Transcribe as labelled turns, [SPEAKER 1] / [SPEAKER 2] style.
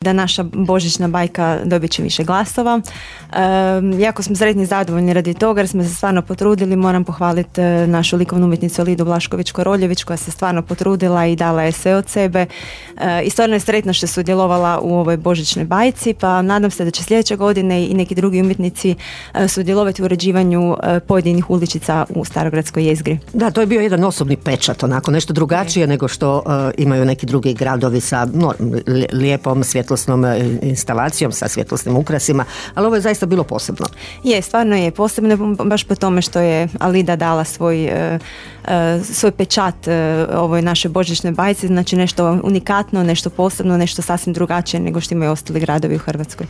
[SPEAKER 1] da naša božićna bajka dobit će više glasova. Jako smo sretni i zadovoljni radi toga jer smo se stvarno potrudili. Moram pohvaliti našu likovnu umjetnicu Lidu Blašković-Koroljević koja se stvarno potrudila i dala je sve od sebe. I stvarno je sretna što je sudjelovala u ovoj božićnoj bajci, pa nadam se da će sljedeće godine i neki drugi umjetnici sudjelovati u uređivanju pojedinih uličica u Starogradskoj jezgri.
[SPEAKER 2] Da, to je bio jedan osobni pečat, onako nešto drugačije nego što imaju neki drugi gradovi sa lijepom svjetlosnom instalacijom, sa svjetlosnim ukrasima, ali ovo je zaista bilo posebno.
[SPEAKER 1] Je, stvarno je posebno baš po tome što je Alida dala svoj pečat ovoj našoj božićnoj bajci, znači nešto unikatno, nešto posebno, nešto sasvim drugačije nego što imaju ostali gradovi u Hrvatskoj.